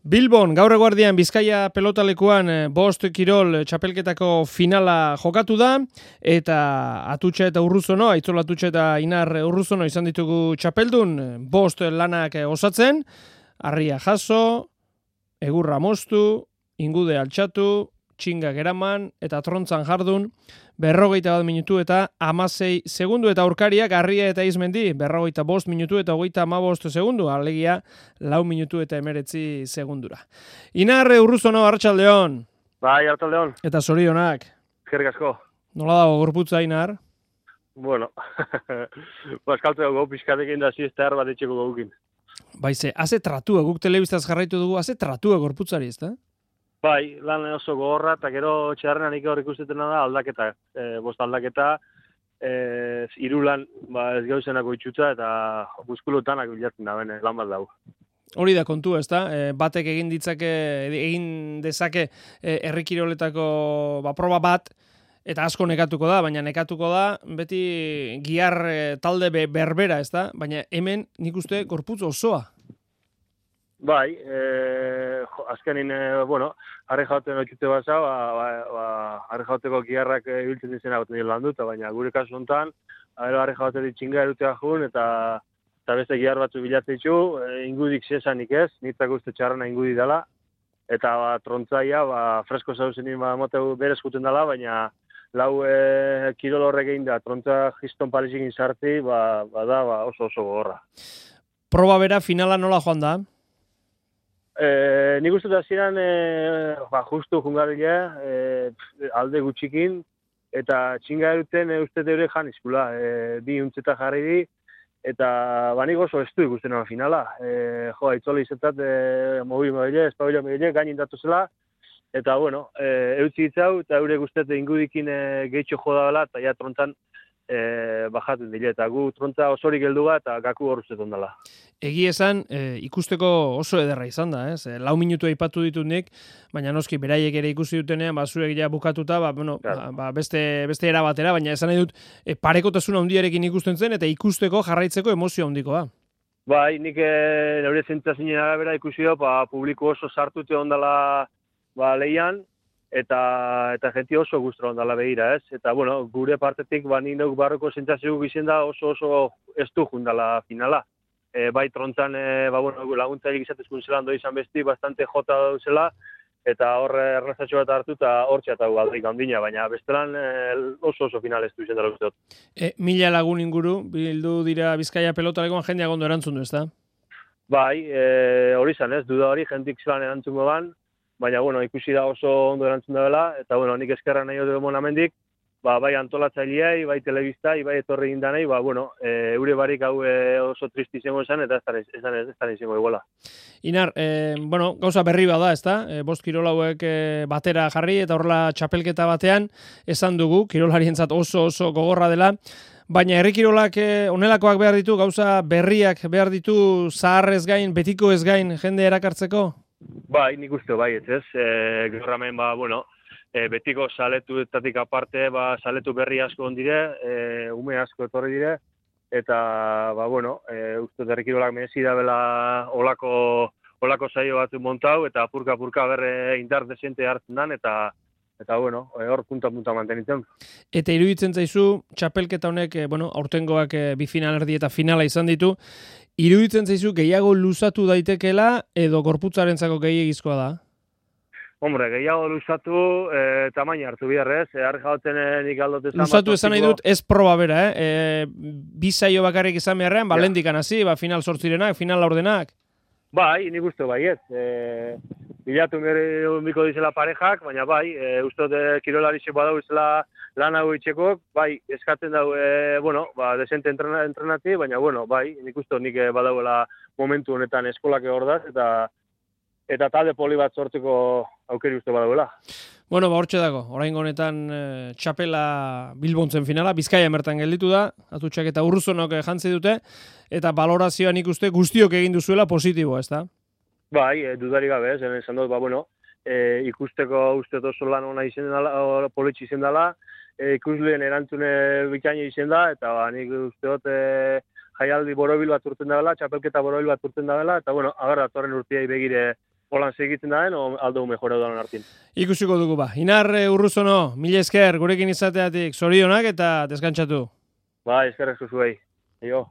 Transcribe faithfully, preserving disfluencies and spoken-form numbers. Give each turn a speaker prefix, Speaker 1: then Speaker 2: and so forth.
Speaker 1: Bilbon, gaur eguardian Bizkaia pelotalekuan bost kirol txapelketako finala jokatu da, eta Atutxa eta Urruzono, Aitzol Atutxa eta Inar Urruzono izan ditugu txapeldun, bost lanak osatzen, harria jaso, egurra moztu, ingude altxatu, txingak eraman eta trontzan jardun, berrogeita bat minutu eta hamasei segundu, eta aurkariak Harria eta Izmendi, berrogeita bost minutu eta hogeita hamabost segundu, alegia lau minutu eta emeretzi segundura. Inar Urruzono, arratsaldeon.
Speaker 2: Bai, arratsaldeon.
Speaker 1: Eta zorionak.
Speaker 2: Eskerrik asko.
Speaker 1: Nola dago gorputza, Inar?
Speaker 2: Bueno, ba, eskaltzeko gau pixkatekin da ziestar bat etxeko gaukin.
Speaker 1: Baize, haze tratua, guk telebistaz jarraitu dugu, haze tratua gorputzari, ez da?
Speaker 2: Bai, lan oso gogorra, eta gero txarrenan hor ikustetena da aldaketa. E, bost aldaketa, e, hiru lan ba, ez gauzenako itxutza, eta muskuluetanak bilatzen da, bene, lan bat dago.
Speaker 1: Hori da kontua, ez da? E, batek egin ditzake, egin dezake e, herrikiroletako ba, proba bat, eta asko nekatuko da, baina nekatuko da beti gihar e, talde be, berbera, ez da? Baina hemen nik uste gorputz osoa.
Speaker 2: Bai, e, jo, azkenin, e, bueno, harri jauten otxute basa, ba, ba, ba, harri jauteko giharrak ibiltzen dizena goten dira lan duta, baina gure kasu honetan, harri jauten ditxinga erutea jun, eta, eta beste gihar batzu bilatzen ditu, e, ingudik zesanik ez, nitzak uste txarrena ingudi dela, eta ba, trontzaia, ba, fresko zauzenin ba, moteu berez juten dela, baina lau e, kirol horrek egin da, trontza jiston palizik sarti, ba, ba da ba, oso oso gogorra.
Speaker 1: Proba bera finala nola joan da?
Speaker 2: E, nik uste da ziren, e, ba, justu jungarria, e, alde gutxikin, eta txinga eruten e, uste deure jan izkula, e, bi untzeta jarri di, eta ba, nik oso estu ikusten hori finala. E, jo, aitzole izatat, e, mobil mobile, espabila mobile, gainin datu zela, eta, bueno, e, eutzi ditzau, eta eure guztet ingudikin e, gehitxo joda dela, eta ja trontzan e, bajaten dile, eta gu trontza osorik heldu bat, eta gaku horrezetan dela.
Speaker 1: Egi esan, e, ikusteko oso ederra izan da, ez? E, lau minutu aipatu ditut nik, baina noski beraiek ere ikusi dutenean, ba, zuek ja bukatuta, ba, bueno, ba, ba, beste, beste era batera, baina esan nahi dut, e, parekotasuna handiarekin ikusten zen, eta ikusteko jarraitzeko emozio handikoa.
Speaker 2: Bai, nik e, neure zentzazinen arabera ikusi da, ba, publiko oso sartute ondala ba, leian, eta eta jenti oso gustora ondala behira, ez? Eta, bueno, gure partetik, ba, nik neuk barroko zentzazio gizien da oso oso estu jundala finala. E, bai trontzan, e, ba, bueno, laguntzaik izatezkun zelan doi izan besti, bastante jota dauzela, eta hor errazatxo bat hartu, eta hor txatau aldaik handina, baina bestelan e, oso oso final ez du izan dara usteot.
Speaker 1: E, mila lagun inguru, bildu dira Bizkaia pelotalekoan jendeak ondo erantzun du, ez da?
Speaker 2: Bai, e, hori izan ez, duda hori, jentik zelan erantzun ban, baina, bueno, ikusi da oso ondo erantzun dela, eta, bueno, nik eskerra nahi dut monamendik, ba, bai antolatzaileai, bai telebistai, bai etorri gindanei, ba, bueno, e, eure barik hau e, oso tristi izango esan, eta ez da izango iguala.
Speaker 1: Inar, e, bueno, gauza berri bada, ez da? E, bost kirol hauek e, batera jarri, eta horrela txapelketa batean, esan dugu, kirolarientzat oso oso gogorra dela, baina herrikirolak e, onelakoak behar ditu, gauza berriak behar ditu, zaharrez gain, betiko ez gain, jende erakartzeko?
Speaker 2: Bai, nik uste bai, ez ez, e, gaur hemen, ba, bueno, E, betiko saletuetatik aparte, ba, saletu berri asko ondire, e, ume asko etorri dire, eta, ba, bueno, e, uste herrikirolak merezi da bela olako, olako saio batzu montau, eta apurka-apurka berre indar desente hartzen dan, eta, eta bueno, hor punta-punta mantenitzen.
Speaker 1: Eta iruditzen zaizu, txapelketa honek, e, bueno, aurtengoak e, bi final erdi eta finala izan ditu, iruditzen zaizu gehiago luzatu daitekela, edo gorputzarentzako gehiagizkoa da?
Speaker 2: Hombre, gehiago luzatu, e, tamaina hartu biharrez, e, harri jauten e, nik aldote zan.
Speaker 1: Luzatu esan nahi dut, ez proba bera, eh? E, bi saio bakarrik izan beharrean, ba, lendikan hasi, ba, final sortzirenak, final laurdenak.
Speaker 2: Bai, nik uste bai ez. E, bilatu miko dizela parejak, baina bai, e, uste dut kirolarizek badau izela lan hau itxekok, bai, eskatzen dau, e, bueno, ba, desente entrenati, baina, bueno, bai, nik uste nik badauela momentu honetan eskolak hor da, eta eta talde poli bat sortzeko aukeri uste badauela.
Speaker 1: Bueno, ba, hortxe dago, oraingo honetan e, txapela Bilbontzen finala, Bizkaia mertan gelditu da, Atutxak eta Urruzonok jantzi dute, eta balorazioan ikuste guztiok egin duzuela positiboa, ez da?
Speaker 2: Bai, e, dudari gabe, zen esan dut, ba, bueno, e, ikusteko uste oso lan ona izen dela, politxe izen dela, e, ikusleen erantzune bikaina izen da, eta ba, nik uste dut, e, jaialdi borobil bat urten dela, txapelketa borobil bat urten dela, eta bueno, agarra atorren urtiai begire holan segitzen daen, o aldo mejora dalan artin.
Speaker 1: Ikusiko dugu ba. Inar Urruzono, mila esker, gurekin izateatik zorionak eta deskantsatu.
Speaker 2: Ba, eskerrek zuzuei. Jo.